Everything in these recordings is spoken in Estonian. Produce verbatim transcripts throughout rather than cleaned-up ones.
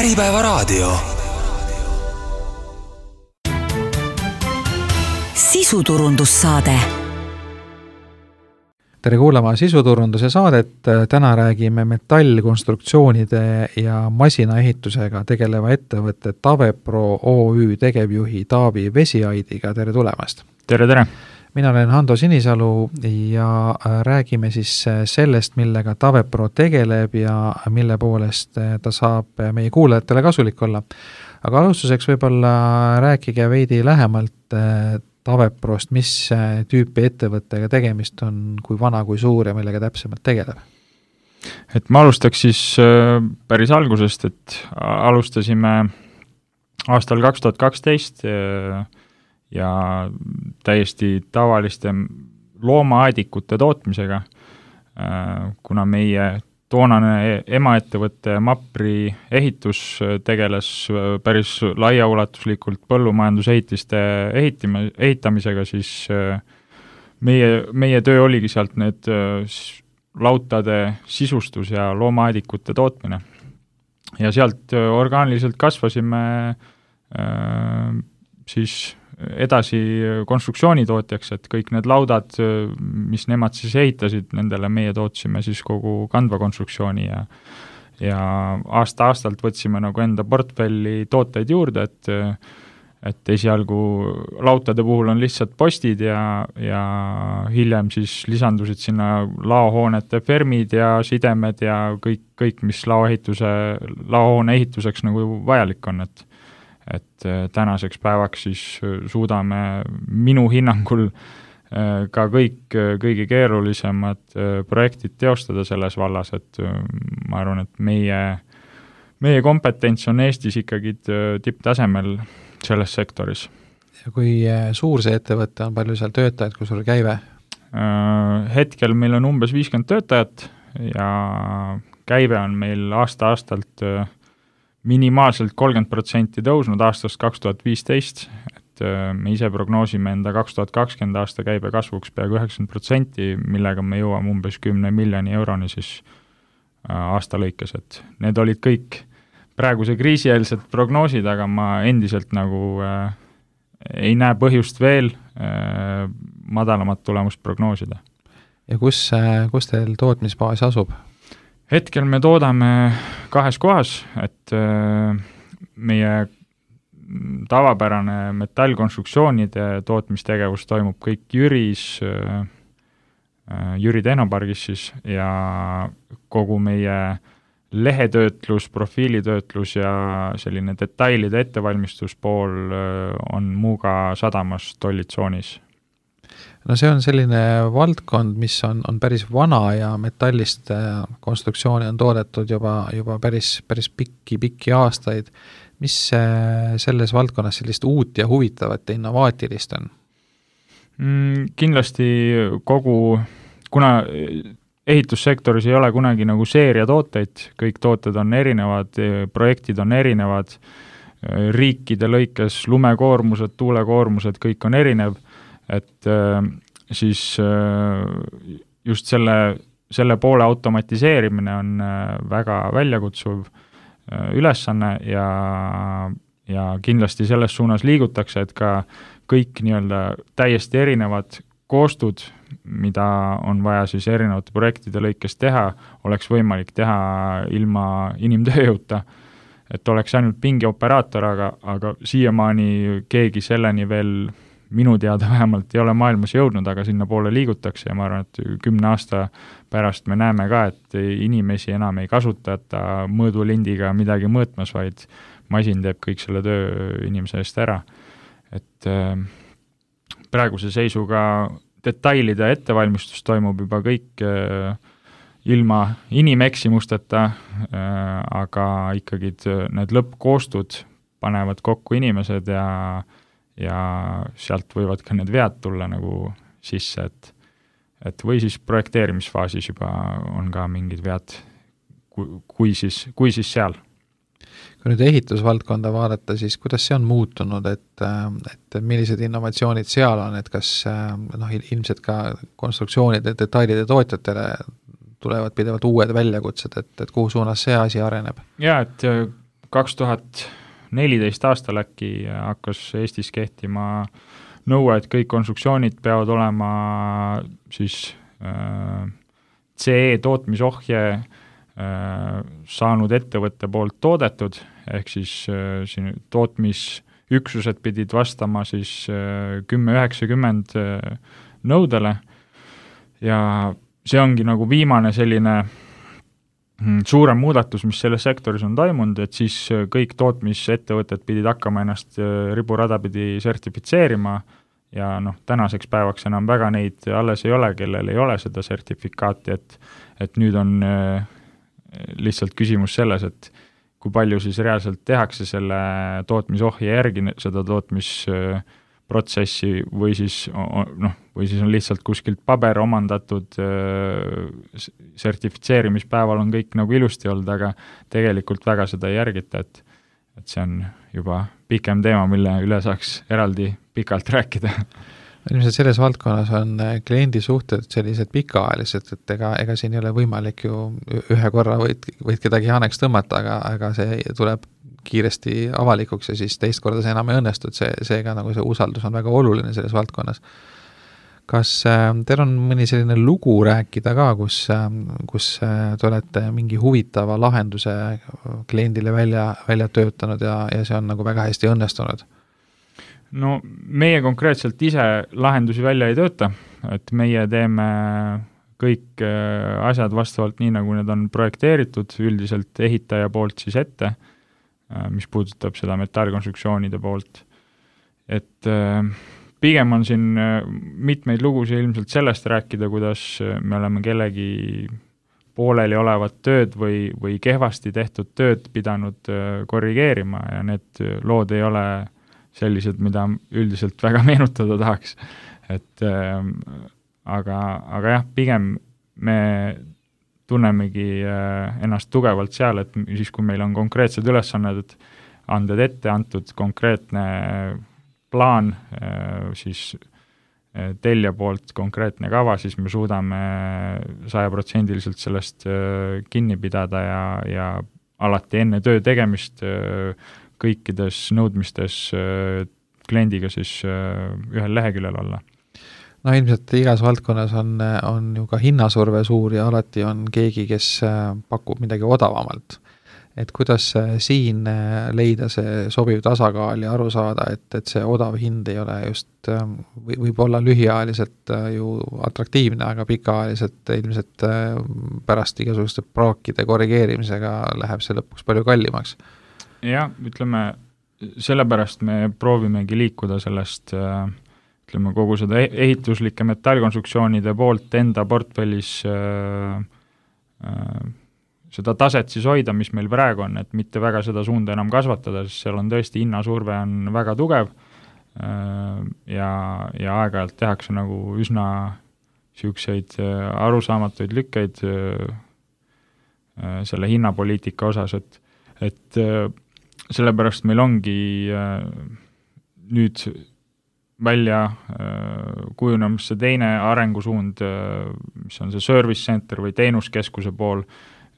Äripäevaraadio. Sisuturundussaade. Tere kuulama sisuturunduse saadet. Täna räägime metallkonstruktsioonide ja masinaehitusega tegeleva ettevõtte Tavepro O Ü tegevjuhi Taavi Vesiaidiga. Tere tulemast! Tere, tere! Mina olen Hando Sinisalu ja räägime siis sellest, millega Tavepro tegeleb ja mille poolest ta saab meie kuulajatele kasulik olla. Aga alustuseks võib-olla rääkige veidi lähemalt Taveprost, mis tüüpi ettevõttega tegemist on, kui vana, kui suur ja millega täpsemalt tegeleb? Et ma alustaks siis päris algusest, et alustasime aastal kaks tuhat kaksteist ja täiesti tavaliste loomaaedikute tootmisega, kuna meie toonane emaettevõtte Mapri ehitus tegeles päris laiaulatuslikult põllumajandusehitiste ehitima, ehitamisega, siis meie, meie töö oligi sealt need lautade sisustus ja loomaaedikute tootmine. Ja sealt orgaaniliselt kasvasime siis edasi konstruktsioonitootjaks, et kõik need laudad, mis nemad siis ehitasid, nendele meie tootsime siis kogu kandva konstruktsiooni ja, ja aasta-aastalt võtsime nagu enda portfelli tooteid juurde, et, et esialgu lautade puhul on lihtsalt postid ja, ja hiljem siis lisandusid sinna laohoonete fermid ja sidemed ja kõik, kõik mis laoehituse, laohoone ehituseks nagu vajalik on, et et tänaseks päevaks siis suudame minu hinnangul ka kõik kõige keerulisemad projektid teostada selles vallas, et ma arvan, et meie, meie kompetents on Eestis ikkagi tipptasemel selles sektoris. Ja kui suur see ettevõte on, palju seal töötajad, kui suur käive? Hetkel meil on umbes viiskümmend töötajat ja käive on meil aasta-aastalt minimaalselt kolmkümmend protsenti tõusnud aastast kaks tuhat viisteist, et me ise prognoosime enda kaks tuhat kakskümmend aasta käibe kasvuks peaaegu üheksakümmend protsenti, millega me jõuame umbes kümne miljoni euroni siis aasta lõikes, et need olid kõik praeguse kriisieelsed prognoosid, aga ma endiselt nagu äh, ei näe põhjust veel äh, madalamat tulemust prognoosida. Ja kus, kus teil tootmisbaas asub? Hetkel me toodame kahes kohas, et meie tavapärane metallkonstruktsioonide tootmistegevus toimub kõik Jüris, Jüri tehnopargis siis, ja kogu meie lehetöötlus, profiilitöötlus ja selline detailide ettevalmistuspool on Muuga sadamas tollitsoonis. No see on selline valdkond, mis on, on päris vana ja metallist konstruktsiooni on toodetud juba, juba päris, päris pikki, pikki aastaid. Mis selles valdkonnas sellist uut ja huvitavat ja innovaatilist on? Mm, kindlasti kogu, kuna ehitussektoris ei ole kunagi nagu seeria tooteid, kõik tooted on erinevad, projektid on erinevad, riikide lõikes lumekoormused, tuulekoormused, kõik on erinev, et äh, siis äh, just selle, selle poole automatiseerimine on äh, väga väljakutsuv äh, ülesanne ja, ja kindlasti selles suunas liigutakse, et ka kõik nii-öelda täiesti erinevad koostud, mida on vaja siis erinevate projektide lõikes teha, oleks võimalik teha ilma inimtööjõuta, et oleks ainult pingioperaator, aga, aga siiamaani keegi selleni veel minu teada vähemalt ei ole maailmas jõudnud, aga sinna poole liigutakse ja ma arvan, et kümne aasta pärast me näeme ka, et inimesi enam ei kasutata mõõdulindiga midagi mõõtmas, vaid masin teeb kõik selle töö inimese eest ära. Et praeguse seisuga detailide ettevalmistus toimub juba kõik ilma inimeksimusteta, aga ikkagi need lõppkoostud panevad kokku inimesed ja ja sealt võivad ka need vead tulla nagu sisse, et, et või siis projekteerimisfaasis juba on ka mingid vead, kui, kui, siis, kui siis seal. Kui nüüd ehitusvaldkonda vaadata, siis kuidas see on muutunud, et, et millised innovatsioonid seal on, et kas noh, ilmselt ka konstruktsioonide detailide tootjatele tulevad pidevalt uued väljakutsed, et, et kuhu suunas see asi areneb? Jaa, et kaks tuhat neliteist aastal äkki hakkas Eestis kehtima nõue, et kõik konstruktsioonid peavad olema siis äh, C E tootmisohje äh, saanud ettevõtte poolt toodetud, ehk siis äh, siin tootmisüksused pidid vastama siis äh, kümme üheksakümmend äh, nõudele ja see ongi nagu viimane selline suurem muudatus, mis selles sektoris on toimunud, et siis kõik tootmisettevõtted pidid hakkama ennast riburada pidi sertifitseerima ja noh, tänaseks päevaks enam väga neid alles ei ole, kellel ei ole seda sertifikaati, et, et nüüd on lihtsalt küsimus selles, et kui palju siis reaalselt tehakse selle tootmisohje järgi seda tootmisprotsessi või siis, noh, või siis on lihtsalt kuskilt paber omandatud, sertifitseerimispäeval on kõik nagu ilusti olnud, aga tegelikult väga seda ei järgita, et, et see on juba pikem teema, mille üle saaks eraldi pikalt rääkida. Ilmselt selles valdkonnas on kliendi suhted sellised pikaajalised, et ega, ega siin ei ole võimalik ju ühe korra võid, võid kedagi haneks tõmmata, aga, aga see tuleb kiiresti avalikuks ja siis teist korda see enam ei õnnestu, et see, seega nagu see usaldus on väga oluline selles valdkonnas. Kas äh, teil on mõni selline lugu rääkida ka, kus, äh, kus äh, te olete mingi huvitava lahenduse kliendile välja, välja töötanud ja, ja see on nagu väga hästi õnnestunud? No meie konkreetselt ise lahendusi välja ei tööta, et meie teeme kõik asjad vastavalt nii, nagu need on projekteeritud, üldiselt ehitaja poolt siis ette, mis puudutab seda metallkonstruktsioonide poolt. Et pigem on siin mitmeid lugusid ilmselt sellest rääkida, kuidas me oleme kellegi pooleli olevat tööd või, või kehvasti tehtud tööd pidanud korrigeerima ja need lood ei ole sellised, mida üldiselt väga meenutada tahaks. Et, äh, aga, aga jah, pigem me tunnemegi äh, ennast tugevalt seal, et siis kui meil on konkreetsed ülesanned, anded ette antud konkreetne plaan, äh, siis äh, telja poolt konkreetne kava, siis me suudame sajaprotsendiliselt sellest äh, kinni pidada ja, ja alati enne töö tegemist äh, kõikides nõudmistes kliendiga siis ühel leheküljel olla. No ilmselt igas valdkonnas on, on ju ka hinnasurve suur ja alati on keegi, kes pakub midagi odavamalt. Et kuidas siin leida see sobiv tasakaal ja aru saada, et, et see odav hind ei ole just, võib olla lühiajaliselt ju atraktiivne, aga pikaajaliselt ilmselt pärast igasuguste praakide korrigeerimisega läheb see lõpuks palju kallimaks. Jah, ütleme, sellepärast me proovimegi liikuda sellest, ütleme, kogu seda ehituslike metallkonstruktsioonide poolt enda portfellis äh, äh, seda taset siis hoida, mis meil praegu on, et mitte väga seda suunda enam kasvatada, sest seal on tõesti hinnasurve on väga tugev äh, ja, ja aeg-ajalt tehakse nagu üsna siukseid äh, arusaamatuid lükkeid äh, äh, selle hinnapoliitika osas, et, et äh, sellepärast meil ongi äh, nüüd välja äh, kujunemas see teine arengusuund, äh, mis on see service center või teenuskeskuse pool,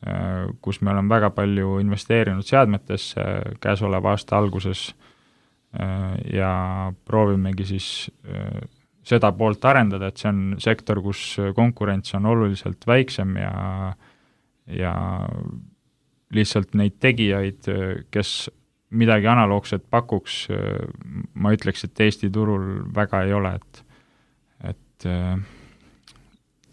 äh, kus me oleme väga palju investeerinud seadmetesse käesoleva aasta alguses äh, ja proovimegi siis äh, seda poolt arendada, et see on sektor, kus konkurents on oluliselt väiksem ja, ja lihtsalt neid tegijaid, kes midagi analoogset pakuks, ma ütleks, et Eesti turul väga ei ole, et, et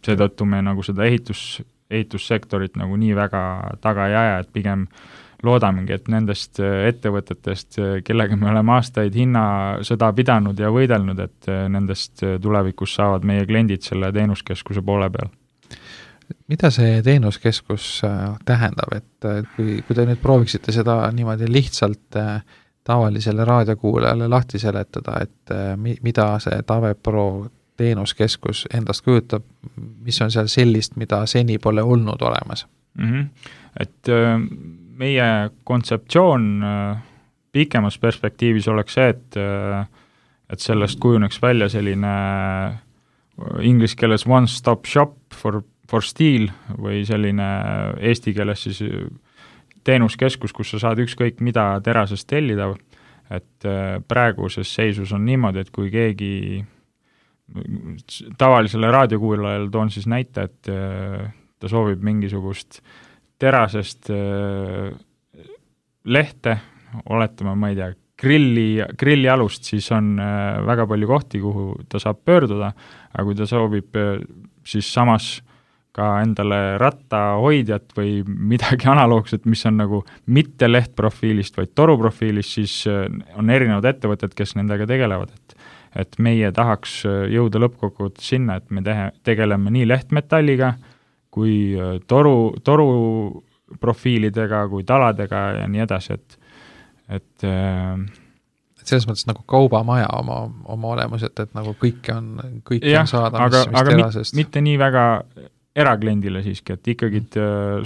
seetõttu me nagu seda ehitus, ehitussektorit nagu nii väga taga ei aja, et pigem loodamegi, et nendest ettevõtetest, kellega me oleme aastaid hinnasõda pidanud ja võidelnud, et nendest tulevikus saavad meie kliendid selle teenuskeskuse poole peal. Mida see teenuskeskus tähendab, et kui, kui te nüüd prooviksite seda niimoodi lihtsalt tavalisele raadiokuulajale lahti seletada, et mida see TavePro teenuskeskus endast kujutab, mis on seal sellist, mida seni pole olnud olemas? Mm-hmm. Et meie kontseptsioon pikemas perspektiivis oleks see, et, et sellest kujuneks välja selline inglise keeles one-stop shop for for steel või selline eesti keeles siis teenuskeskus, kus sa saad ükskõik mida terasest tellida, et praeguses seisus on niimoodi, et kui keegi tavalisele raadiokuulajale toon siis näite, et ta soovib mingisugust terasest lehte, oletame, ma ei tea, grilli, grillialust, siis on väga palju kohti, kuhu ta saab pöörduda, aga kui ta soovib siis samas ka endale rattahoidjat või midagi analoogset, mis on nagu mitte lehtprofiilist, vaid toruprofiilist, siis on erinevad ettevõtted, kes nendega tegelevad, et et meie tahaks jõuda lõppkokkuvõttes sinna, et me tehe, tegeleme nii lehtmetalliga, kui toru, toru profiilidega, kui taladega ja nii edasi, et et et selles mõttes nagu kaubamaja oma, oma olemus, et, et nagu kõike on, kõike jah, on saada, aga, mis, mis aga terasest. Mit, mitte nii väga erakliendile siiski, et ikkagi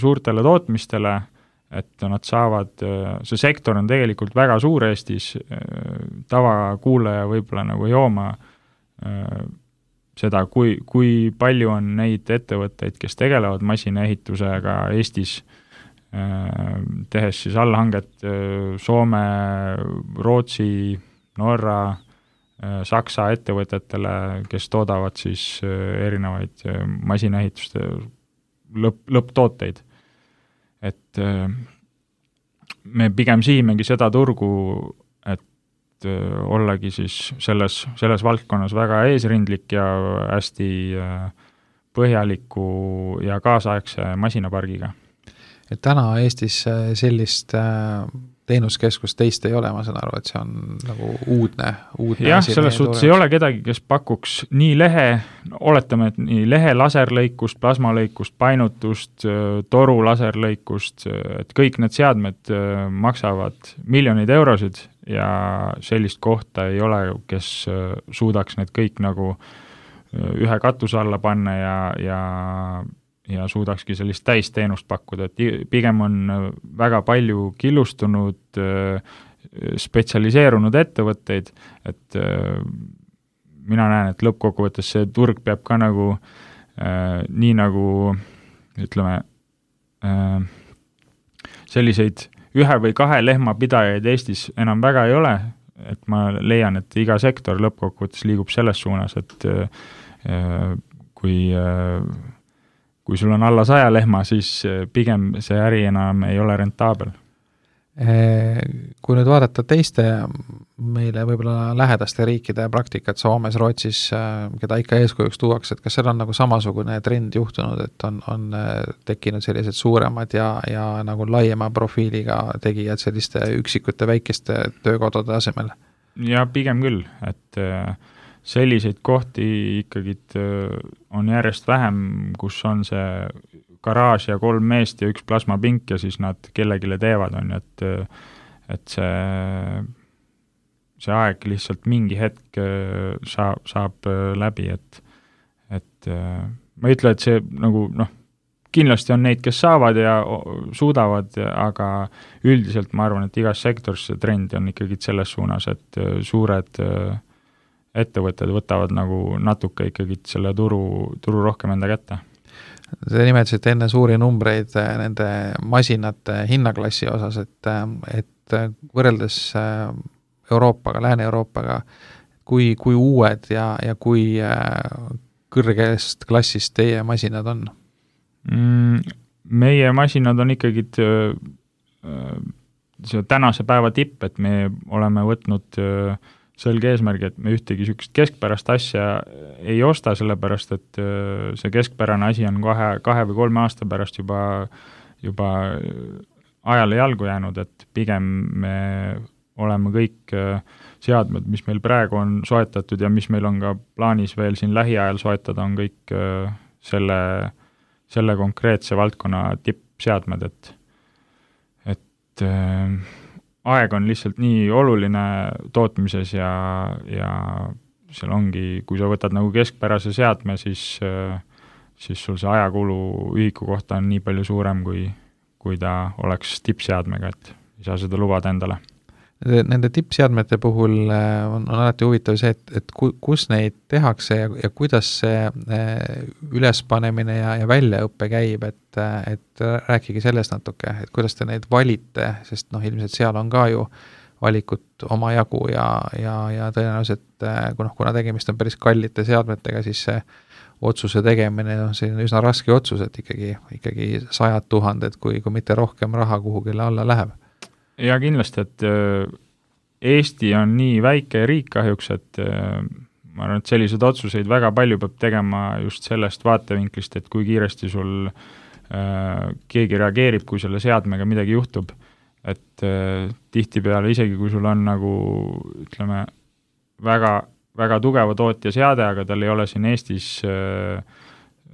suurtele tootmistele, et nad saavad, see sektor on tegelikult väga suur Eestis, tavakuulaja võib-olla nagu ei jooma seda, kui, kui palju on neid ettevõtteid, kes tegelevad masinaehitusega Eestis, tehes siis allhanget Soome, Rootsi, Norra, Saksa ettevõtetele, kes toodavad siis erinevaid masinaehituste lõpp, lõpptooteid. Et me pigem sihimegi seda turgu, et ollagi siis selles, selles valdkonnas väga eesrindlik ja hästi põhjaliku ja kaasaegse masinapargiga. Et täna Eestis sellist teenuskeskus teist ei ole, ma saan aru, et see on nagu uudne, uudne jah, selles suhtes ei ole kedagi, kes pakuks nii lehe, oletame, et nii lehe laserlõikust, plasmalõikust, painutust, toru laserlõikust, et kõik need seadmed maksavad miljoneid eurosid ja sellist kohta ei ole, kes suudaks need kõik nagu ühe katuse alla panna ja, ja ja suudakski sellist täisteenust pakkuda, et pigem on väga palju killustunud, spetsialiseerunud ettevõtteid, et mina näen, et lõppkokkuvõttes see turg peab ka nagu nii nagu ütleme selliseid ühe või kahe lehmapidajaid Eestis enam väga ei ole, et ma leian, et iga sektor lõppkokkuvõttes liigub selles suunas, et kui kui sul on alla saja lehma, siis pigem see äri enam ei ole rentaabel. Kui nüüd vaadata teiste meile võib-olla lähedaste riikide praktikat Soomes, Rootsis, keda ikka eeskujuks tuuakse, et kas seal on nagu samasugune trend juhtunud, et on, on tekkinud sellised suuremad ja, ja nagu laiema profiiliga tegijad selliste üksikute väikeste töökodade asemel? Ja pigem küll, et selliseid kohti ikkagi on järjest vähem, kus on see garaaž ja kolm meest ja üks plasmapink ja siis nad kellegile teevad, on, et, et see, see aeg lihtsalt mingi hetk saab, saab läbi, et, et ma ei ütle, et see nagu noh, kindlasti on neid, kes saavad ja suudavad, aga üldiselt ma arvan, et igas sektoris see trend on ikkagi selles suunas, et suured ettevõtted võtavad nagu natuke ikkagi selle turu, turu rohkem enda kätte. Te nimetasite enne suuri numbreid nende masinate hinnaklassi osas, et, et võrreldes Euroopaga, Lääne-Euroopaga, kui, kui uued ja, ja kui kõrgest klassist teie masinad on? Meie masinad on ikkagi see tänase päeva tipp, et me oleme võtnud selge eesmärgi, et me ühtegi sükest keskpärast asja ei osta, sellepärast et see keskpärane asi on kahe, kahe või kolme aasta pärast juba, juba ajale jalgu jäänud, et pigem me oleme kõik seadmed, mis meil praegu on soetatud ja mis meil on ka plaanis veel siin lähiajal soetada, on kõik selle, selle konkreetse valdkonna tippseadmed, et, et aeg on lihtsalt nii oluline tootmises ja, ja seal ongi, kui sa võtad nagu keskpärase seadme, siis, siis sul see ajakulu ühiku kohta on nii palju suurem, kui, kui ta oleks tippseadmega, et ei saa seda lubada endale. Nende tippseadmete puhul on, on alati huvitav see, et, et ku, kus neid tehakse ja, ja kuidas see ülespanemine ja, ja väljaõppe käib, et, et rääkige sellest natuke, et kuidas te neid valite, sest noh, ilmselt seal on ka ju valikut oma jagu ja, ja, ja tõenäoliselt, kuna, kuna tegemist on päris kallite seadmetega, siis see otsuse tegemine on selline üsna raske otsus, et ikkagi, ikkagi sajad tuhanded, kui, kui mitte rohkem raha kuhugile alla läheb. Ja kindlasti, et Eesti on nii väike riik kahjuks, et ma arvan, et sellised otsuseid väga palju peab tegema just sellest vaatevinklist, et kui kiiresti sul äh, keegi reageerib, kui selle seadmega midagi juhtub. Et äh, tihtipeale isegi, kui sul on nagu, ütleme, väga, väga tugeva tootja seade, aga tal ei ole siin Eestis äh,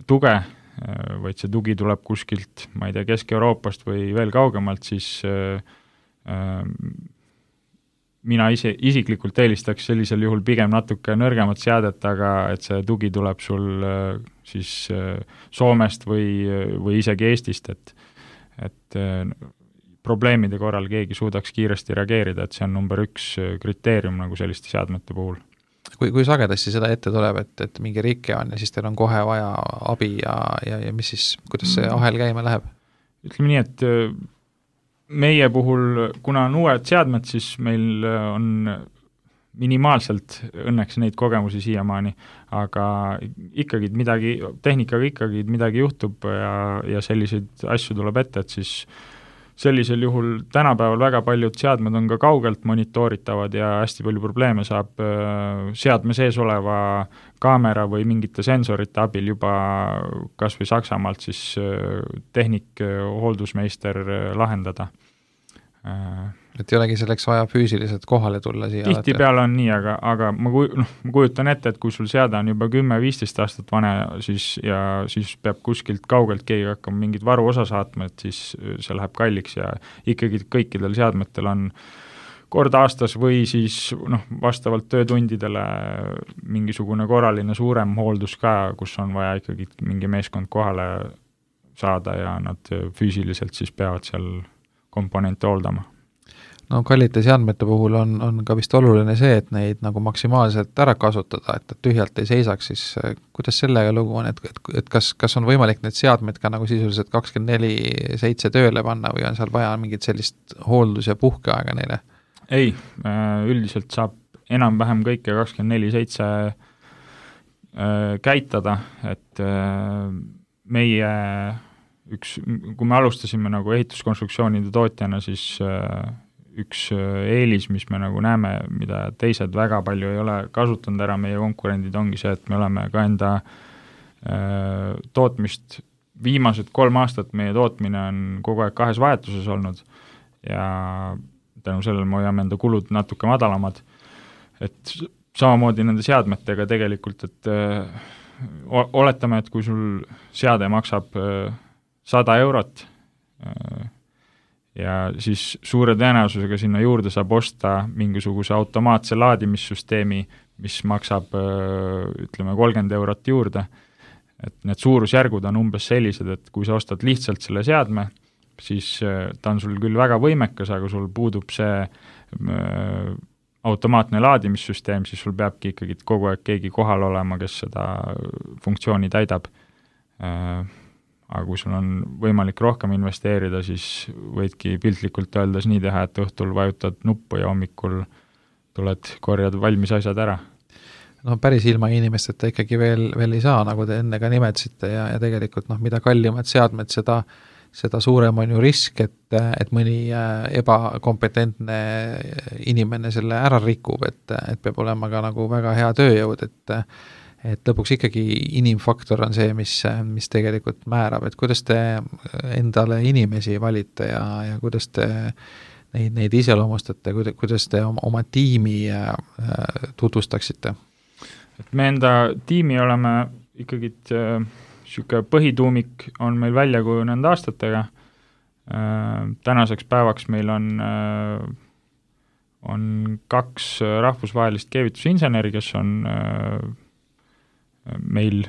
tuge, äh, vaid see tugi tuleb kuskilt, ma ei tea, Kesk-Euroopast või veel kaugemalt, siis äh, mina ise, isiklikult eelistaks sellisel juhul pigem natuke nõrgemat seadet, aga et see tugi tuleb sul siis Soomest või, või isegi Eestist, et, et probleemide korral keegi suudaks kiiresti reageerida, et see on number üks kriteerium nagu selliste seadmete puhul. Kui, kui sagedasti seda ette tuleb, et, et mingi rike on ja siis teil on kohe vaja abi ja, ja, ja mis siis, kuidas see ahel käima läheb? Ütleme nii, et meie puhul, kuna on uued seadmed, siis meil on minimaalselt õnneks neid kogemusi siiamaani, aga ikkagi midagi, tehnikaga ikkagi midagi juhtub ja, ja selliseid asju tuleb ette, et siis sellisel juhul tänapäeval väga paljud seadmed on ka kaugelt monitooritavad ja hästi palju probleeme saab seadme sees oleva kaamera või mingite sensorite abil juba kas või Saksamaalt siis tehnik, hooldusmeister lahendada. Et ei olegi selleks vaja füüsiliselt kohale tulla siia? Tihtipeale on nii, aga, aga ma, kuj, no, ma kujutan ette, et kui sul seade on juba kümme viisteist aastat vane siis, ja siis peab kuskilt kaugelt keegi hakkama mingit varu osa saatma, et siis see läheb kalliks ja ikkagi kõikidel seadmetel on kord aastas või siis noh, vastavalt töötundidele mingisugune korraline suurem hooldus ka, kus on vaja ikkagi mingi meeskond kohale saada ja nad füüsiliselt siis peavad seal komponente hooldama. No kallite seadmete puhul on, on ka vist oluline see, et neid nagu maksimaalselt ära kasutada, et tühjalt ei seisaks, siis kuidas sellega lugu on, et, et, et kas, kas on võimalik need seadmed ka nagu sisuliselt kakskümmend neli seitse tööle panna või on seal vaja mingit sellist hooldus- ja puhkeaega neile? Ei, üldiselt saab enam-vähem kõike kakskümmend neli seitse käitada, et meie üks, kui me alustasime nagu ehituskonstruktsioonide tootjana, siis üks eelis, mis me nagu näeme, mida teised väga palju ei ole kasutanud ära, meie konkurendid ongi see, et me oleme ka enda tootmist, viimased kolm aastat meie tootmine on kogu aeg kahes vahetuses olnud ja tänu sellele me hoiame enda kulud natuke madalamad, et samamoodi nende seadmetega tegelikult, et oletame, et kui sul seade maksab sada eurot ja siis suure tõenäosusega sinna juurde saab osta mingisuguse automaatse laadimissüsteemi, mis maksab ütleme kolmkümmend eurot juurde, et need suurusjärgud on umbes sellised, et kui sa ostad lihtsalt selle seadme, siis ta on sul küll väga võimekas, aga sul puudub see automaatne laadimissüsteem, siis sul peabki ikkagi kogu aeg keegi kohal olema, kes seda funktsiooni täidab. Aga kui sul on võimalik rohkem investeerida, siis võidki piltlikult öeldes nii teha, et õhtul vajutad nuppu ja hommikul tuled, korjad valmis asjad ära. No päris ilma inimesteta ikkagi veel, veel ei saa, nagu te enne ka nimetsite ja, ja tegelikult noh, mida kallimad seadmed, seda, seda suurem on ju risk, et, et mõni ebakompetentne inimene selle ära rikub, et, et peab olema ka nagu väga hea tööjõud, et et lõpuks ikkagi inimfaktor on see, mis, mis tegelikult määrab, et kuidas te endale inimesi valite ja, ja kuidas te neid, neid iseloomustate, kuidas te oma, oma tiimi tutvustaksite? Et me enda tiimi oleme ikkagi niisugune põhituumik on meil välja kujunenud aastatega. Tänaseks päevaks meil on, on kaks rahvusvahelist keevitusinseneri, kes on meil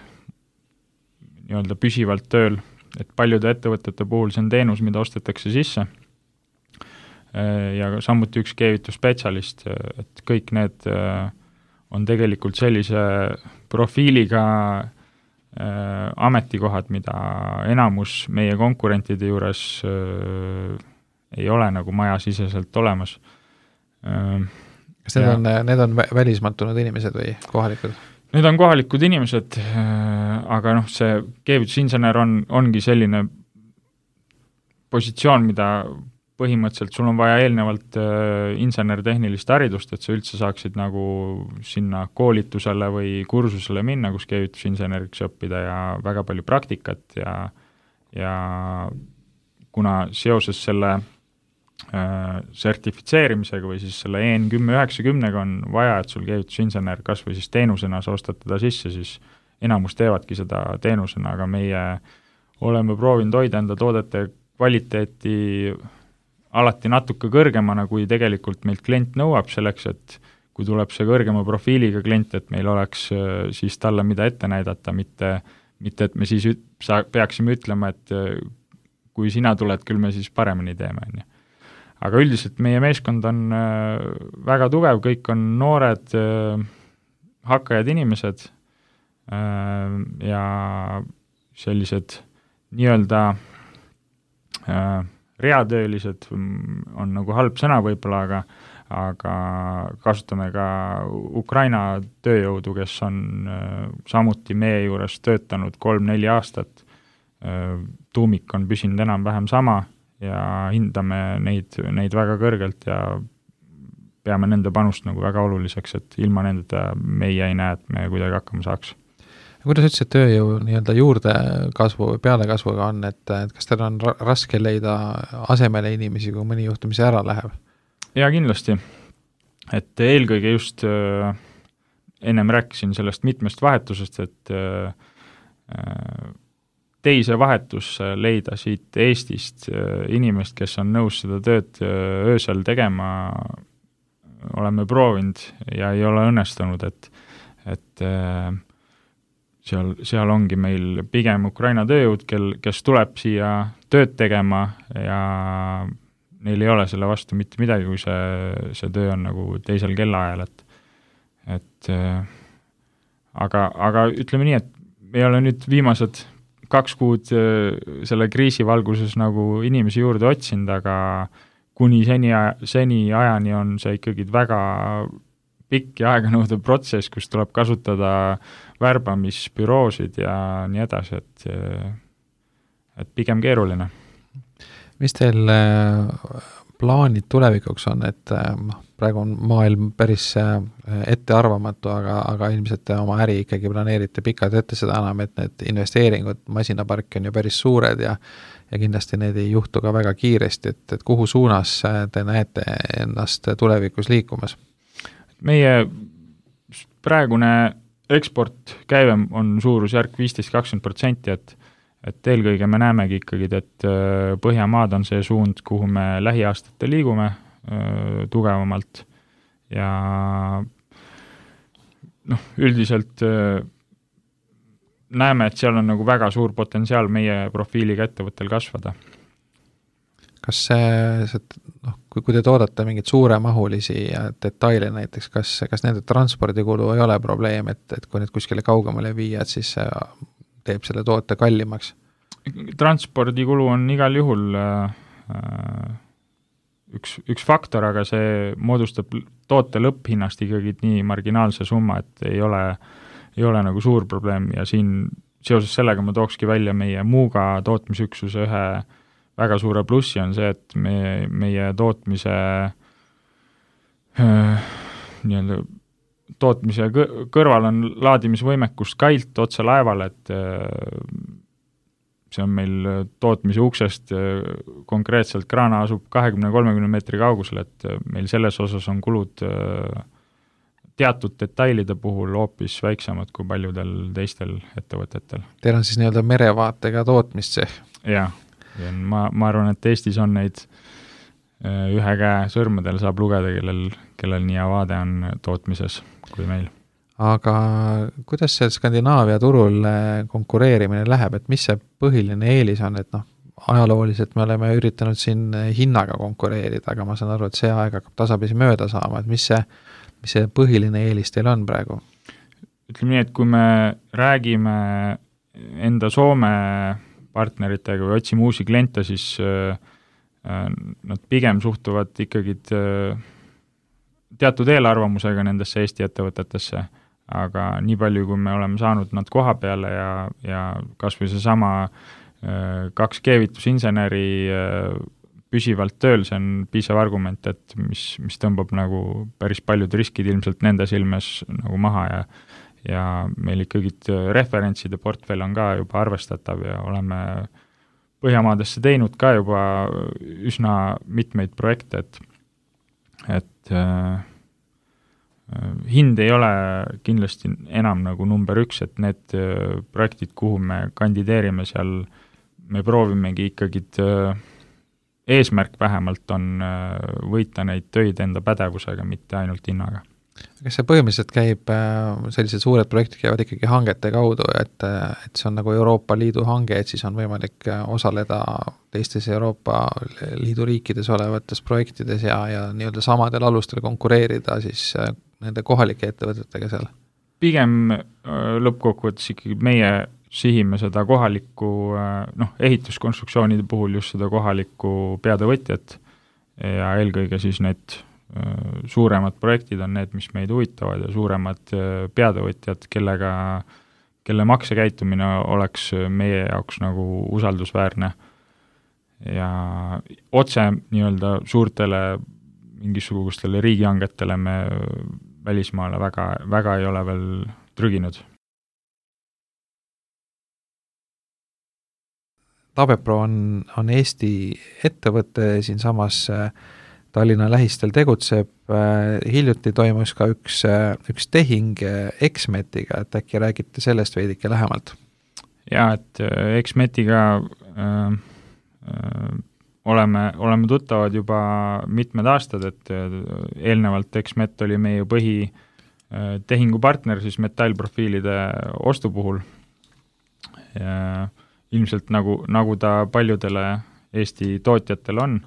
nii-öelda püsivalt tööl, et paljude ettevõtete puhul see on teenus, mida ostetakse sisse. ja samuti üks keevitusspetsialist, et kõik need on tegelikult sellise profiiliga ametikohad, mida enamus meie konkurentide juures ei ole nagu majasiseselt olemas. Kas need on, need on välismaalt tulnud inimesed või kohalikud? Need on kohalikud inimesed, aga noh, see keevitusinsener on, ongi selline positsioon, mida põhimõtteliselt sul on vaja eelnevalt insener-tehnilist haridust, et sa üldse saaksid nagu sinna koolitusele või kursusele minna, kus keevitusinseneriks õppida ja väga palju praktikat ja, ja kuna seoses selle sertifitseerimisega või siis selle E N kümme üheksakümnega on vaja, et sul keevitusinsener kas või siis teenusena sa ostad teda sisse, siis enamus teevadki seda teenusena, aga meie oleme proovinud hoida enda toodete kvaliteeti alati natuke kõrgemana, kui tegelikult meilt klient nõuab selleks, et kui tuleb see kõrgema profiiliga klient, et meil oleks siis talle mida ette näidata, mitte, mitte et me siis üt, sa, peaksime ütlema, et kui sina tuled, küll me siis paremini teeme, on ju. Aga üldiselt meie meeskond on äh, väga tugev, kõik on noored äh, hakkajad inimesed äh, ja sellised nii-öelda äh, reatöölised on nagu halb sõna võib-olla, aga, aga kasutame ka Ukraina tööjõudu, kes on äh, samuti meie juures töötanud kolm-neli aastat. Äh, tuumik on püsinud enam-vähem sama ja hindame neid, neid väga kõrgelt ja peame nende panust nagu väga oluliseks, et ilma nendeta meie ei näe, et me kuidagi hakkama saaks. Kuidas üldse tööjõu nii-öelda juurde kasvu või pealekasvuga on, et, et kas teil on ra- raske leida asemele inimesi, kui mõni juhtumisi ära läheb? Ja kindlasti, et eelkõige just äh, ennem rääkisin sellest mitmest vahetusest, et äh, teise vahetus leida siit Eestist inimest, kes on nõus seda tööd öösel tegema, oleme proovinud ja ei ole õnnestunud, et, et seal, seal ongi meil pigem Ukraina tööjõud, kel, kes tuleb siia tööd tegema ja neil ei ole selle vastu mitte midagi, kui see, see töö on nagu teisel kellaajal, et, et aga, aga ütleme nii, et me ei ole nüüd viimased kaks kuud selle kriisi valguses nagu inimesi juurde otsinud, aga kuni seni, seni ajani on see ikkagi väga pikk ja aeganõudev protsess, kus tuleb kasutada värbamisbüroosid ja nii edasi, et, et pigem keeruline. Mis teil plaanid tulevikuks on, et praegu on maailm päris ettearvamatu, aga, aga ilmselt te oma äri ikkagi planeerite pikalt ette, seda enam, et need investeeringud masinaparki on ju päris suured ja, ja kindlasti need ei juhtu ka väga kiiresti, et, et kuhu suunas te näete ennast tulevikus liikumas? Meie praegune eksportkäive on suurusjärk viisteist kakskümmend protsenti, et et eelkõige me näemegi ikkagi, et Põhjamaad on see suund, kuhu me lähiaastate liigume öö, tugevamalt ja noh, üldiselt öö, näeme, et seal on nagu väga suur potentsiaal meie profiiliga ettevõttel kasvada. Kas see, see noh, kui, kui te toodate mingeid suuremahulisi detaile näiteks, kas, kas nende transpordikulu ei ole probleem, et, et kui need kuskile kaugemale viia, et siis teeb selle toote kallimaks? Transpordikulu on igal juhul äh, üks, üks faktor, aga see moodustab toote lõpphinnast ikkagi nii marginaalse summa, et ei ole, ei ole nagu suur probleem ja siin seoses sellega ma tookski välja meie Muuga tootmisüksuse ühe väga suure plussi on see, et me, meie tootmise äh, nii-öelda tootmise kõrval on laadimisvõimekus Kailt otse laeval, et see on meil tootmise uksest konkreetselt kraana asub kahekümne kolmekümne meetri kaugusel, et meil selles osas on kulud teatud detailide puhul hoopis väiksemad kui paljudel teistel ettevõtetel. Teil on siis nii-öelda merevaatega tootmist see? Jaa, ma, ma arvan, et Eestis on neid ühe käe sõrmedel saab lugeda, kellel, kellel nii hea vaade on tootmises kui meil. Aga kuidas see Skandinaavia turul konkureerimine läheb, et mis see põhiline eelis on, et noh, ajalooliselt me oleme üritanud siin hinnaga konkureerida, aga ma saan aru, et see aeg hakkab tasapisi mööda saama, et mis see, mis see põhiline eelis teil on praegu? Ütleme nii, et kui me räägime enda Soome partneritega või otsime uusi kliente, siis nad pigem suhtuvad ikkagi teatud eelarvamusega nendesse Eesti ettevõtetesse, aga nii palju, kui me oleme saanud nad koha peale ja, ja kas või see sama kaks keevitusinseneri püsivalt tööl, see on piisav argument, et mis, mis tõmbab nagu päris paljud riskid ilmselt nende silmes nagu maha ja ja meil ikkagi referentside portfell on ka juba arvestatav ja oleme Põhjamaadesse teinud ka juba üsna mitmeid projekte, et, et äh, hind ei ole kindlasti enam nagu number üks, et need äh, projektid, kuhu me kandideerime, seal me proovimegi ikkagi äh, eesmärk vähemalt on äh, võita neid töid enda pädevusega, mitte ainult hinnaga. Kas see põhimõtteliselt käib, sellised suured projektid käivad ikkagi hangete kaudu, et, et see on nagu Euroopa Liidu hange, et siis on võimalik osaleda teistes Euroopa Liidu riikides olevates projektides ja, ja nii-öelda samadel alustel konkureerida siis nende kohalike ettevõtetega seal? Pigem lõppkokkuvõttes ikkagi meie sihime seda kohalikku, noh, ehituskonstruktsioonide puhul just seda kohalikku peatöövõtjat ja eelkõige siis need suuremad projektid on need, mis meid huvitavad ja suuremad peatöövõtjad, kellega, kelle maksekäitumine oleks meie jaoks nagu usaldusväärne ja otse nii-öelda suurtele mingisugustele riigihangetele me välismaale väga, väga ei ole veel trüginud. Tavepro on, on Eesti ettevõte siinsamas Tallinna lähistel tegutseb, hiljuti toimus ka üks, üks tehing Exmetiga, et äkki räägite sellest veidike lähemalt? Jaa, et Exmetiga äh, äh, oleme, oleme tuttavad juba mitmed aastad, et eelnevalt Exmet oli meie põhi äh, tehingupartner siis metallprofiilide ostu puhul. Ja ilmselt nagu, nagu ta paljudele Eesti tootjatel on,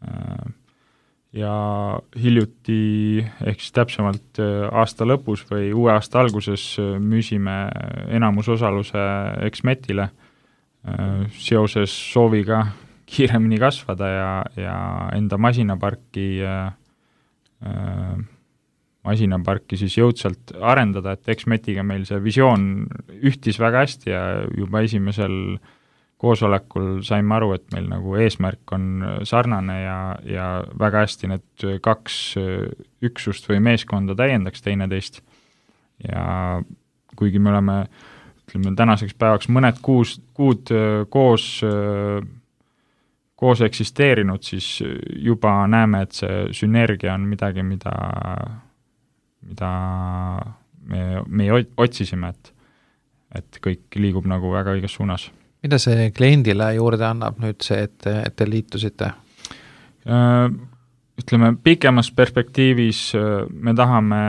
äh, ja hiljuti, ehk siis täpsemalt aasta lõpus või uue aasta alguses müüsime enamusosaluse Exmetile seoses sooviga kiiremini kasvada ja, ja enda masinaparki, masinaparki siis jõudsalt arendada, et Exmetiga meil see visioon ühtis väga hästi ja juba esimesel koosolekul saime aru, et meil nagu eesmärk on sarnane ja, ja väga hästi need kaks üksust või meeskonda täiendaks teineteist. Ja kuigi me oleme, ütleme, tänaseks päevaks mõned kuus, kuud koos, koos eksisteerinud, siis juba näeme, et see sünergia on midagi, mida, mida me, me otsisime, et, et kõik liigub nagu väga õiges suunas. Mida see kliendile juurde annab nüüd see, et, et te liitusite? Ütleme, pikemas perspektiivis me tahame,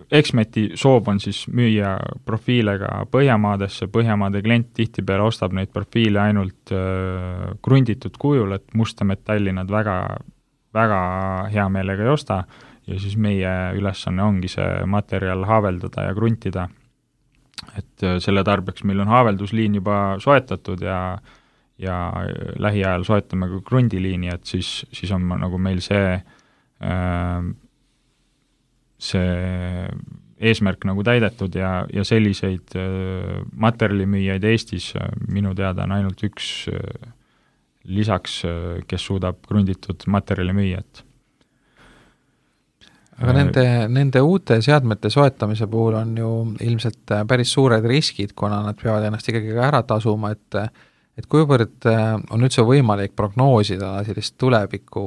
Exmeti soov on siis müüa profiile ka Põhjamaadesse, Põhjamaade klient tihtipeale ostab neid profiile ainult krunditud kujul, et musta metalli nad väga, väga hea meelega ei osta ja siis meie ülesanne ongi see materjal haaveldada ja kruntida. Et selle tarbeks meil on haaveldusliin juba soetatud ja, ja lähiajal soetame ka krundiliini, et siis, siis on nagu meil see, see eesmärk nagu täidetud ja, ja selliseid materjalimüüjaid Eestis minu teada on ainult üks lisaks, kes suudab krunditud materjali müüa, et aga nende, nende uute seadmete soetamise puhul on ju ilmselt päris suured riskid, kuna nad peavad ennast ikkagi ka ära tasuma, et, et kuivõrd on üldse võimalik prognoosida sellist tuleviku,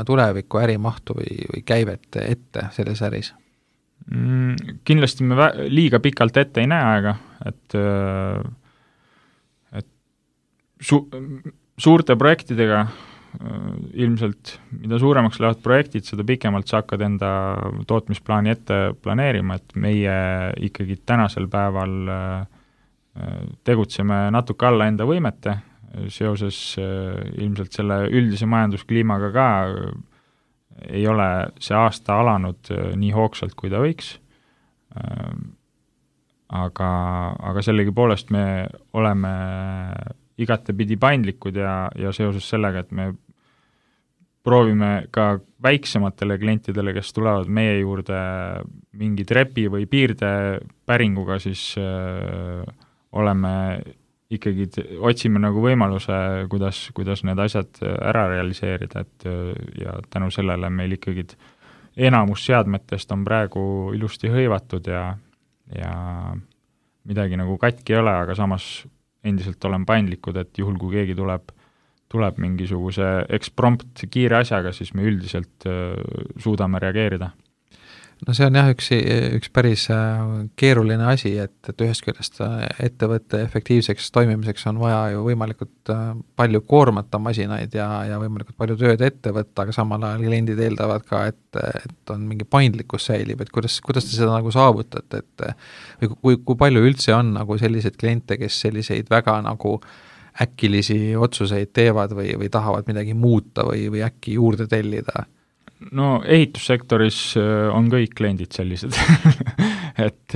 tuleviku ärimahtu või, või käivet ette selles äris? Mm, kindlasti me vä- liiga pikalt ette ei näe aega, et, et su- suurte projektidega ilmselt, mida suuremaks lähevad projektid, seda pikemalt sa hakkad enda tootmisplaani ette planeerima, et meie ikkagi tänasel päeval tegutseme natuke alla enda võimete, seoses ilmselt selle üldise majanduskliimaga ka ei ole see aasta alanud nii hoogsalt, kui ta võiks, aga, aga sellegipoolest me oleme igatepidi paindlikud ja, ja seoses sellega, et me proovime ka väiksematele klientidele, kes tulevad meie juurde mingi trepi või piirde päringuga, siis öö, oleme ikkagi, otsime nagu võimaluse, kuidas, kuidas need asjad ära realiseerida, et ja tänu sellele meil ikkagi enamus seadmetest on praegu ilusti hõivatud ja, ja midagi nagu katki ei ole, aga samas endiselt olen paindlikud, et juhul, kui keegi tuleb tuleb mingisuguse eksprompt kiire asjaga, siis me üldiselt äh, suudame reageerida. No see on jah üks, üks päris keeruline asi, et, et ühest küljest ettevõtte efektiivseks toimimiseks on vaja ju võimalikult palju koormata masinaid ja, ja võimalikult palju tööd ette võtta, aga samal ajal kliendid eeldavad ka, et, et on mingi paindlikkus säilib, et kuidas, kuidas te seda nagu saavutate, et või kui, kui palju üldse on nagu selliseid kliente, kes selliseid väga nagu äkilisi otsuseid teevad või, või tahavad midagi muuta või, või äkki juurde tellida? No ehitussektoris on kõik kliendid sellised et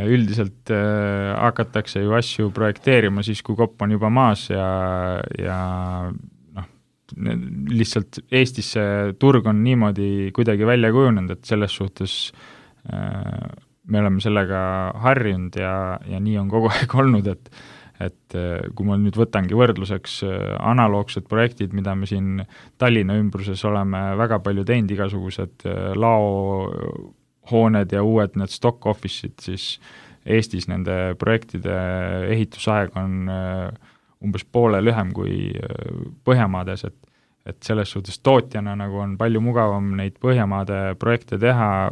üldiselt hakatakse ju asju projekteerima siis, kui kopp on juba maas ja, ja noh, lihtsalt Eestis see turg on niimoodi kuidagi välja kujunenud, et selles suhtes me oleme sellega harjunud ja, ja nii on kogu aeg olnud, et et kui ma nüüd võtangi võrdluseks analoogsed projektid, mida me siin Tallinna ümbruses oleme väga palju teinud, igasugused laohooned ja uued need stock office'id, siis Eestis nende projektide ehitusaeg on umbes poole lühem kui Põhjamaades, et, et selles suhtes tootjana nagu on palju mugavam neid Põhjamaade projekte teha,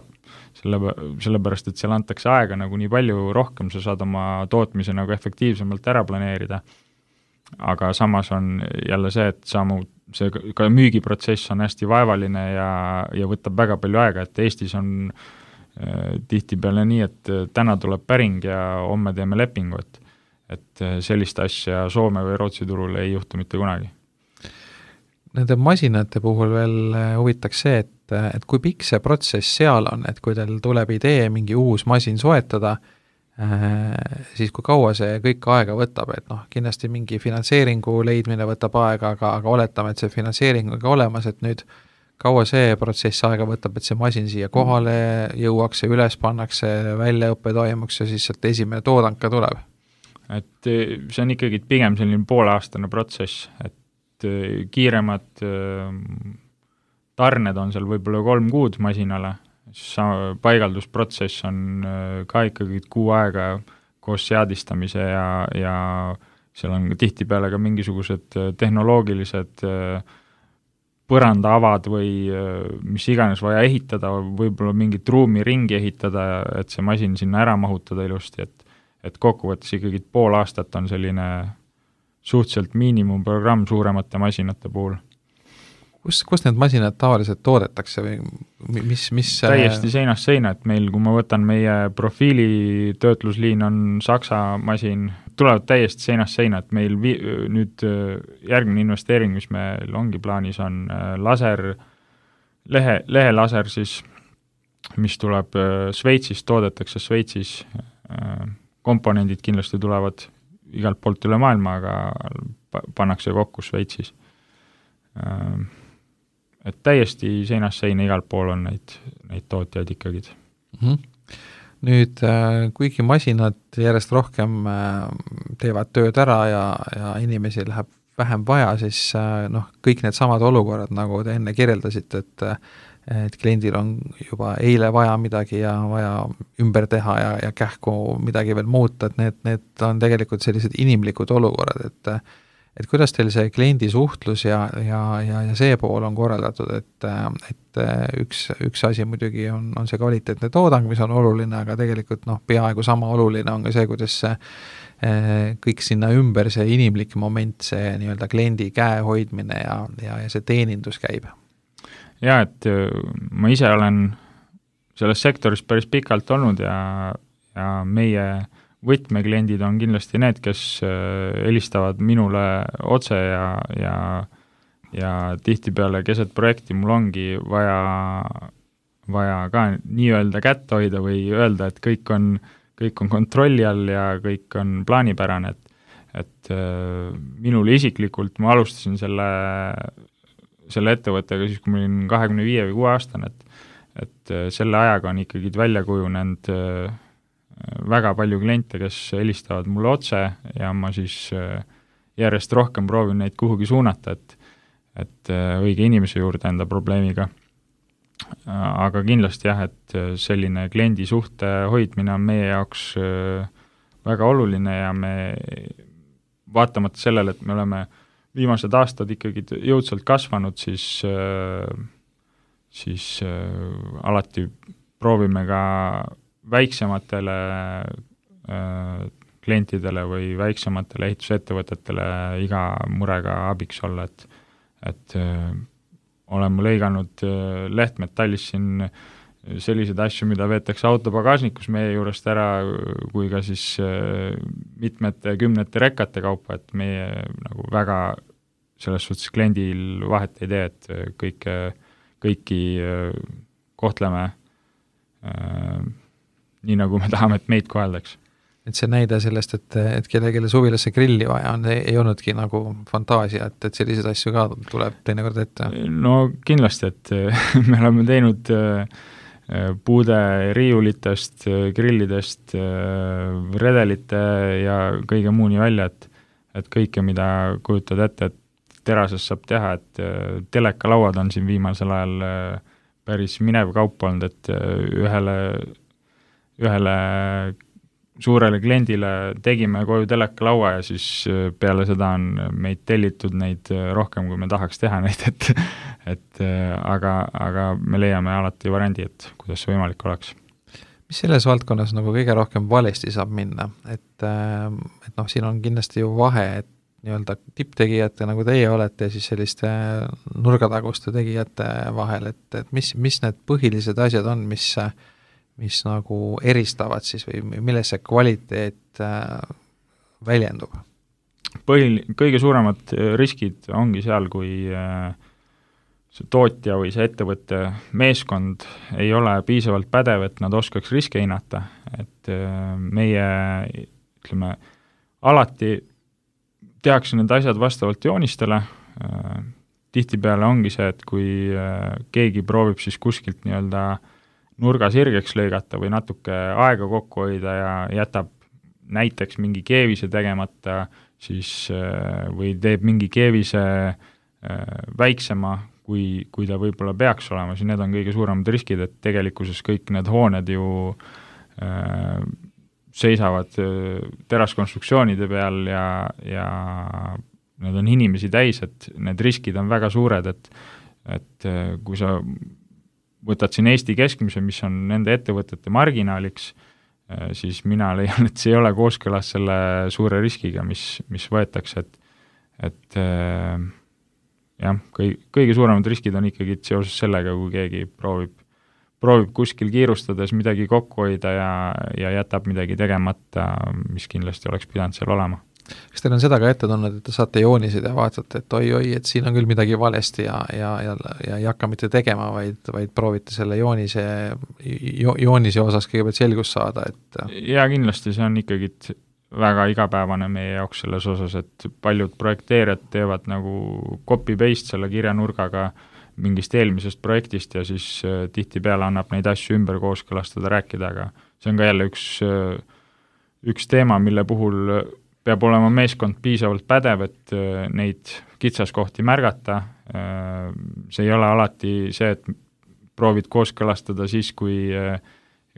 selle, sellepärast, et seal antakse aega nagu nii palju rohkem, sa saad oma tootmise nagu efektiivsemalt ära planeerida. Aga samas on jälle see, et samu, see ka müügiprotsess on hästi vaevaline ja, ja võtab väga palju aega, et Eestis on äh, tihtipeale nii, et täna tuleb päring ja homme teeme lepingu, et, et sellist asja Soome või Rootsi turul ei juhtu mitte kunagi. Nende masinate puhul veel huvitaks see, et, et kui pikk see protsess seal on, et kui teil tuleb idee mingi uus masin soetada, siis kui kaua see kõik aega võtab, et noh, kindlasti mingi finantseeringu leidmine võtab aega, aga, aga oletame, et see finantseering on ka olemas, et nüüd kaua see protsess aega võtab, et see masin siia kohale jõuaks ja üles pannakse, väljaõppe toimuks ja siis sealt esimene toodang ka tuleb? Et see on ikkagi pigem selline pooleaastane protsess, et kiiremad tarned on seal võib-olla kolm kuud masinale, paigaldusprotsess on ka ikkagi kuu aega koos seadistamise ja, ja seal on tihtipeale ka mingisugused tehnoloogilised põrandaavad või mis iganes vaja ehitada, võib-olla mingit ruumi ringi ehitada, et see masin sinna ära mahutada ilusti, et, et kokkuvõttes ikkagi pool aastat on selline suhteliselt miinimumprogramm suuremate masinate puhul. Kus, kus need masinad tavaliselt toodetakse või mis, mis täiesti seinast seina, et meil, kui ma võtan meie profiili töötlusliin on Saksa masin, tulevad täiesti seinast seina, et meil vi- nüüd järgmine investeering, mis meil ongi plaanis, on laser, lehe, lehelaser siis, mis tuleb Šveitsist, toodetakse Šveitsis, komponendid kindlasti tulevad igalt poolt üle maailma, aga pannakse kokku Šveitsis. Et täiesti seinast seina igalt pool on neid, neid tootjaid ikkagi. Mm-hmm. Nüüd, kuigi masinad järjest rohkem teevad tööd ära ja, ja inimesi läheb vähem vaja, siis noh, kõik need samad olukorrad, nagu te enne kirjeldasite, et et kliendil on juba eile vaja midagi ja vaja ümber teha ja, ja kähku midagi veel muuta, et need, need on tegelikult sellised inimlikud olukorrad, et et kuidas teil see kliendi suhtlus ja, ja, ja, ja see pool on korraldatud, et, et üks, üks asi muidugi on, on see kvaliteetne toodang, mis on oluline, aga tegelikult noh, peaaegu sama oluline on ka see, kuidas see kõik sinna ümber, see inimlik moment, see nii-öelda kliendi käe hoidmine ja, ja, ja see teenindus käib. Jaa, et ma ise olen selles sektoris päris pikalt olnud ja, ja meie võtmekliendid on kindlasti need, kes helistavad minule otse ja, ja, ja tihtipeale keset projekti mul ongi vaja, vaja ka nii-öelda kätt hoida või öelda, et kõik on, kõik on kontrolli all ja kõik on plaanipärane, et, et minule isiklikult ma alustasin selle, selle ettevõttega siis, kui ma olin kahekümne viie või kuue aastane, et, et selle ajaga on ikkagi välja kujunenud väga palju kliente, kes helistavad mulle otse ja ma siis järjest rohkem proovin neid kuhugi suunata, et, et õige inimese juurde enda probleemiga. Aga kindlasti jah, et selline kliendi suhte hoidmine on meie jaoks väga oluline ja me vaatamata sellele, et me oleme viimased aastad ikkagi jõudsalt kasvanud, siis, siis alati proovime ka väiksematele äh, klientidele või väiksematele ehitusettevõtetele iga murega abiks olla, et, et äh, oleme lõiganud äh, lehtmetallis siin selliseid asju, mida veetakse auto pagasnikus meie juurest ära, kui ka siis äh, mitmete kümnete rekkate kaupa, et meie nagu väga selles suhtes kliendil vahet ei tee, et kõike, kõiki äh, kohtleme äh, nii nagu me tahame, et meid koheldaks. Et see näide sellest, et, et kellelegi suvilasse grilli vaja on, ei olnudki nagu fantaasia, et, et selliseid asju ka tuleb teinekord ette? No kindlasti, et me oleme teinud puude riiulitest, grillidest, redelite ja kõige muuni välja, et, et kõike, mida kujutad ette, et terases saab teha, et telekalauad on siin viimasel ajal päris minev kaup olnud, et ühele ühele suurele kliendile tegime koju telekalaua ja siis peale seda on meid tellitud neid rohkem, kui me tahaks teha neid, et, et aga, aga me leiame alati variandi, et kuidas see võimalik oleks. Mis selles valdkonnas nagu kõige rohkem valesti saab minna? Et, et noh, siin on kindlasti ju vahe, et nii-öelda tipptegijate, nagu teie olete, ja siis selliste nurgataguste tegijate vahel, et, et mis, mis need põhilised asjad on, mis mis nagu eristavad siis või milles see kvaliteet äh, väljendub? Põhil, kõige suuremad riskid ongi seal, kui äh, see tootja või see ettevõtte meeskond ei ole piisavalt pädev, et nad oskaks riske hinnata, et äh, meie, ütleme, alati tehakse need asjad vastavalt joonistele, äh, tihtipeale ongi see, et kui äh, keegi proovib siis kuskilt nii-öelda nurga sirgeks lõigata või natuke aega kokku hoida ja jätab näiteks mingi keevise tegemata, siis või teeb mingi keevise väiksema, kui, kui ta võib-olla peaks olema, siis need on kõige suuremad riskid, et tegelikkuses kõik need hooned ju äh, seisavad teraskonstruktsioonide peal ja, ja need on inimesi täis, et need riskid on väga suured, et, et kui sa võtad siin Eesti keskmise, mis on nende ettevõtete marginaaliks, siis mina leian, et see ei ole kooskõlas selle suure riskiga, mis, mis võetakse, et, et jah, kõi, kõige suuremad riskid on ikkagi seoses sellega, kui keegi proovib, proovib kuskil kiirustades midagi kokku hoida ja, ja jätab midagi tegemata, mis kindlasti oleks pidanud seal olema. Kas teil on seda ka ette tulnud, et te saate joonised ja vaatate, et oi-oi, et siin on küll midagi valesti ja, ja, ja, ja ei hakka mitte tegema, vaid, vaid proovite selle joonise, jo, joonise osas kõigepealt selgust saada? Et... Ja kindlasti see on ikkagi väga igapäevane meie jaoks selles osas, et paljud projekteerijad teevad nagu copy-paste selle kirjanurgaga mingist eelmisest projektist ja siis tihtipeale annab neid asju ümber kooskõlastada, rääkida, aga see on ka jälle üks, üks teema, mille puhul peab olema meeskond piisavalt pädev, et neid kitsaskohti märgata. See ei ole alati see, et proovid kooskõlastada siis, kui,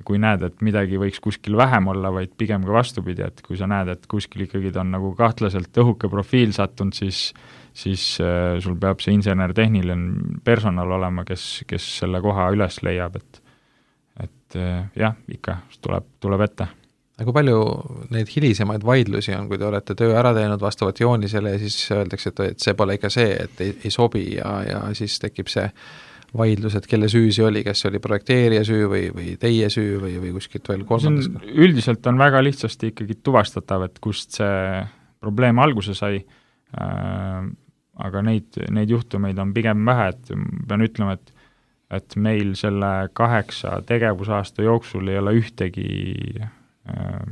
kui näed, et midagi võiks kuskil vähem olla, vaid pigem ka vastupidi, et kui sa näed, et kuskil ikkagi on nagu kahtlaselt õhuke profiil sattunud, siis, siis sul peab see insener-tehniline personal olema, kes, kes selle koha üles leiab, et, et jah, ikka tuleb, tuleb ette. Aga kui palju neid hilisemaid vaidlusi on, kui te olete töö ära teinud vastavalt joonisele ja siis öeldakse, et, et see pole ikka see, et ei, ei sobi ja, ja siis tekib see vaidlused, kelle süü see oli, kas see oli projekteerija süü või, või teie süü või, või kuskilt veel kolmandas? Üldiselt on väga lihtsasti ikkagi tuvastatav, et kust see probleem alguse sai, äh, aga neid, neid juhtumeid on pigem vähe, et pean ütlema, et, et meil selle kaheksa tegevusaasta jooksul ei ole ühtegi äh,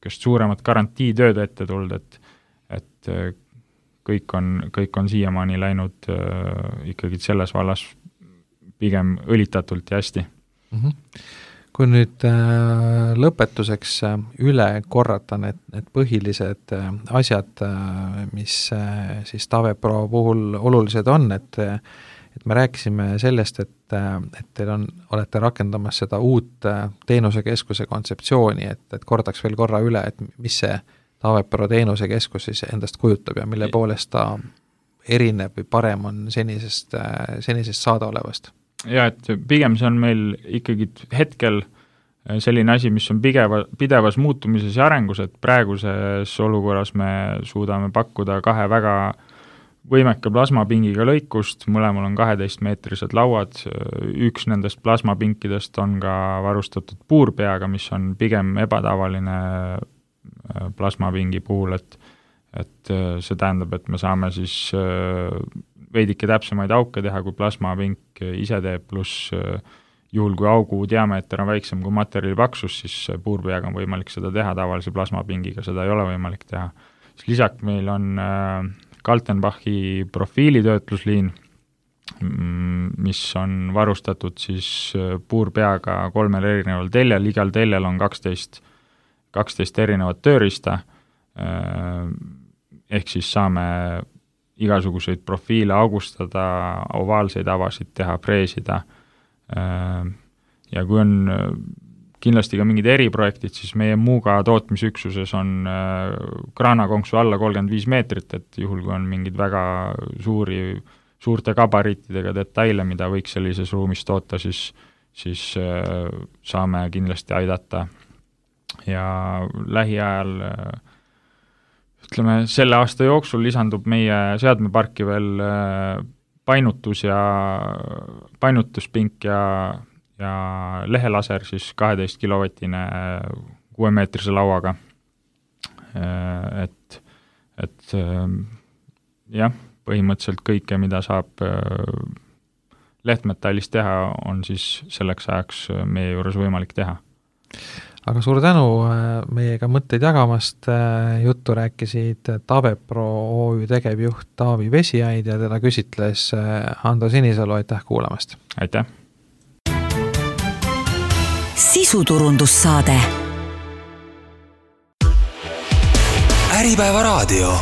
suuremat garantiitööd ette tulnud, et, et kõik on, kõik on siiamaani läinud äh, ikkagi selles vallas pigem õlitatult ja hästi. Mm-hmm. Kui nüüd äh, lõpetuseks äh, üle korrata need, need põhilised äh, asjad, äh, mis äh, siis TavePro puhul olulised on, et et me rääkisime sellest, et, et teil on, olete rakendamas seda uut teenusekeskuse kontseptsiooni, et, et kordaks veel korra üle, et mis see TavePro teenusekeskus siis endast kujutab ja mille poolest ta erineb või parem on senisest, senisest saadaolevast? Ja, et pigem see on meil ikkagi hetkel selline asi, mis on pigeva, pidevas muutumises ja arengus, et praeguses olukorras me suudame pakkuda kahe väga võimeka plasmapingiga lõikust, mõlemal on kaheteistmeetrised lauad, üks nendest plasmapinkidest on ka varustatud puurpeaga, mis on pigem ebatavaline plasmapingi puhul, et, et see tähendab, et me saame siis veidike täpsemaid auke teha, kui plasmapink ise teeb, pluss juhul, kui augu diameeter on väiksem kui materjali paksus, siis puurpeaga on võimalik seda teha, tavalise plasmapingiga seda ei ole võimalik teha. Siis lisaks meil on Kaltenbachi profiilitöötlusliin, mis on varustatud siis puurpeaga kolmel erineval teljel, igal teljel on kaksteist, kaksteist erinevat tööriista, ehk siis saame igasuguseid profiile augustada, ovaalseid avasid teha, preesida, ja kui on kindlasti ka mingid eriprojektid, siis meie Muuga tootmisüksuses on kraanakonksu alla kolmkümmend viis meetrit, et juhul, kui on mingid väga suuri, suurte gabariitidega detaile, mida võiks sellises ruumis toota, siis, siis saame kindlasti aidata. Ja lähiajal, ütleme, selle aasta jooksul lisandub meie seadmeparki veel painutus ja painutuspink ja ja lehelaser siis kaheteist kilovatine kuuemeetrise lauaga. Et, et jah, põhimõtteliselt kõike, mida saab lehtmetallist teha, on siis selleks ajaks meie juures võimalik teha. Aga suur tänu meiega mõtteid jagamast, juttu rääkisid TavePro O Ü tegevjuht Taavi Vesiaid ja teda küsitles Hando Sinisalu, aitäh kuulamast! Aitäh! Sisuturundussaade. Äripäeva raadio.